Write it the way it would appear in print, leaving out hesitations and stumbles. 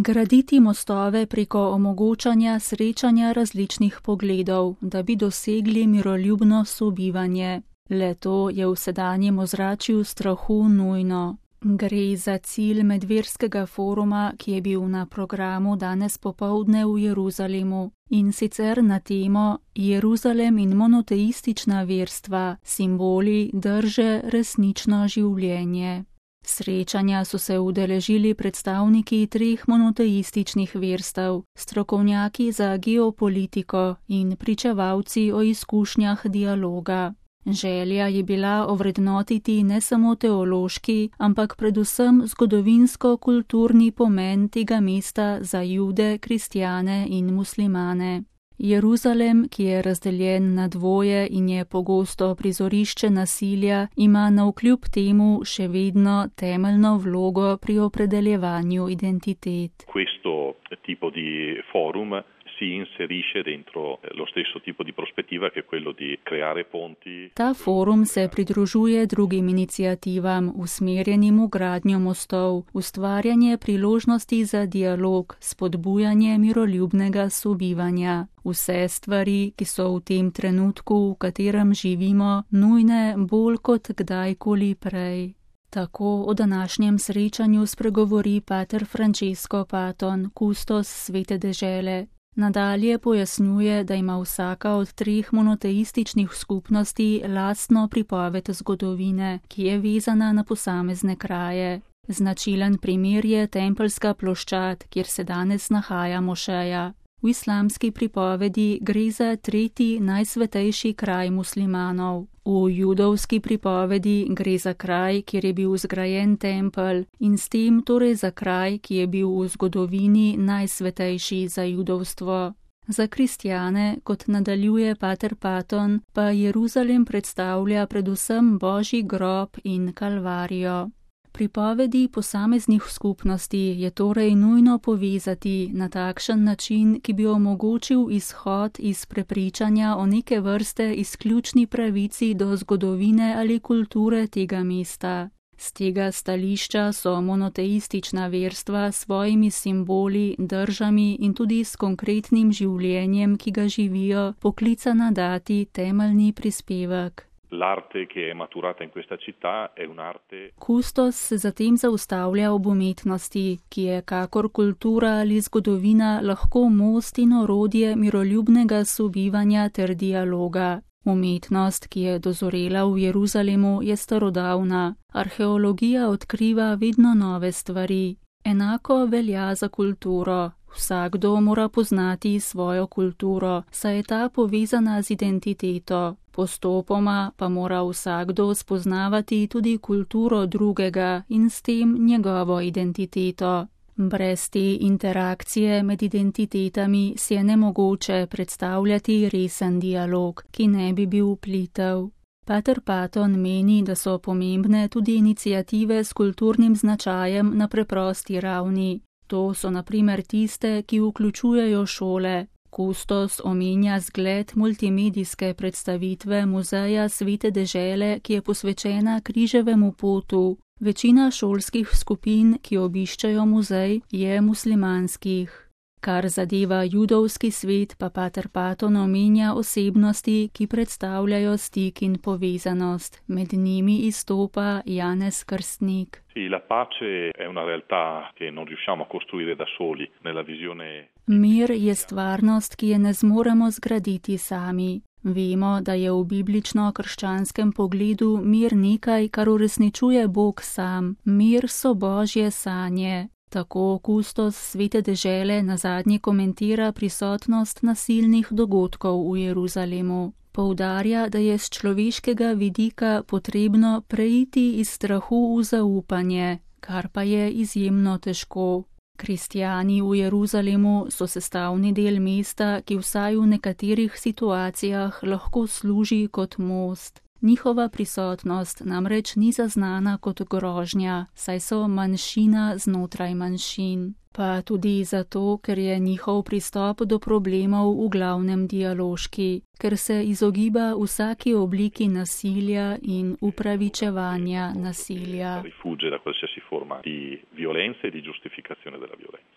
Graditi mostove preko omogočanja srečanja različnih pogledov, da bi dosegli miroljubno sobivanje. Le to je v sedanjem ozračju strahu nujno. Gre za cilj medverskega foruma, ki je bil na programu danes popoldne v Jeruzalemu, in sicer na temo Jeruzalem in monoteistična verstva, simboli, drže, resnično življenje. Srečanja so se udeležili predstavniki 3 monoteističnih verstev, strokovnjaki za geopolitiko in pričevalci o izkušnjah dialoga. Želja je bila ovrednotiti ne samo teološki, ampak predvsem zgodovinsko-kulturni pomen tega mesta za Jude, kristjane in muslimane. Jeruzalem, ki je razdeljen na dvoje in je pogosto prizorišče nasilja, ima navkljub temu še vedno temeljno vlogo pri opredeljevanju identitet. Questo tipo di forum si inserisce dentro lo stesso tipo di prospettiva che è quello di creare ponti. Ta forum se pridružuje drugim iniciativam, usmerjenim v gradnjo mostov, ustvarjanje priložnosti za dialog, spodbujanje miroljubnega sobivanja. Vse stvari, ki so v tem trenutku, v katerem živimo, nujne bolj kot kdajkoli prej. Tako o današnjem srečanju spregovori pater Francesco Paton, kustos Svete dežele. Nadalje pojasnjuje, da ima vsaka od 3 monoteističnih skupnosti lastno pripoved zgodovine, ki je vezana na posamezne kraje. Značilen primer je Tempeljska ploščad, kjer se danes nahaja mošeja. V islamski pripovedi gre za 3. najsvetejši kraj muslimanov. V judovski pripovedi gre za kraj, kjer je bil zgrajen tempelj in s tem torej za kraj, ki je bil v zgodovini najsvetejši za judovstvo. Za kristjane, kot nadaljuje pater Paton, pa Jeruzalem predstavlja predvsem Božji grob in kalvarijo. Pripovedi posameznih skupnosti je torej nujno povezati na takšen način, ki bi omogočil izhod iz prepričanja o neke vrste izključni pravici do zgodovine ali kulture tega mesta. Z tega stališča so monoteistična verstva s svojimi simboli, držami in tudi s konkretnim življenjem, ki ga živijo, poklicana dati temeljni prispevek. L'arte che è maturata in questa città è un'arte. Kustos se zatem zaustavlja ob umetnosti, ki je kakor kultura ali zgodovina lahko most in orodje miroljubnega sobivanja ter dialoga. Umetnost, ki je dozorela v Jeruzalemu, je starodavna. Arheologija odkriva vedno nove stvari. Enako velja za kulturo. Vsakdo mora poznati svojo kulturo, saj je ta povezana z identiteto. Postopoma pa mora vsakdo spoznavati tudi kulturo drugega in s tem njegovo identiteto. Brez te interakcije med identitetami si je nemogoče predstavljati resen dialog, ki ne bi bil plitev. Pater Paton meni, da so pomembne tudi iniciative s kulturnim značajem na preprosti ravni. To so na primer tiste, ki vključujejo šole. Kustos omenja zgled multimedijske predstavitve Muzeja Svete dežele, ki je posvečena križevemu potu. Večina šolskih skupin, ki obiščajo muzej, je muslimanskih. Kar zadeva judovski svet, pa pater Paton omenja osebnosti, ki predstavljajo stik in povezanost. Med njimi izstopa Janez Krstnik. La pace è una realtà che non riusciamo a costruire da soli nella visione. Mir je stvarnost, ki je ne zmoremo zgraditi sami. Vemo, da je v biblično-krščanskem pogledu mir nekaj, kar uresničuje Bog sam. Mir so Božje sanje. Tako kustos Svete dežele nazadnje komentira prisotnost nasilnih dogodkov v Jeruzalemu. Poudarja, da je z človeškega vidika potrebno preiti iz strahu v zaupanje, kar pa je izjemno težko. Kristjani v Jeruzalemu so sestavni del mesta, ki vsaj v nekaterih situacijah lahko služi kot most. Njihova prisotnost namreč ni zaznana kot grožnja, saj so manjšina znotraj manjšin. Pa tudi zato, ker je njihov pristop do problemov v glavnem dialoški, ker se izogiba vsaki obliki nasilja in upravičevanja nasilja. Rifugge da qualsiasi forma di violenza e di giustificazione della violenza.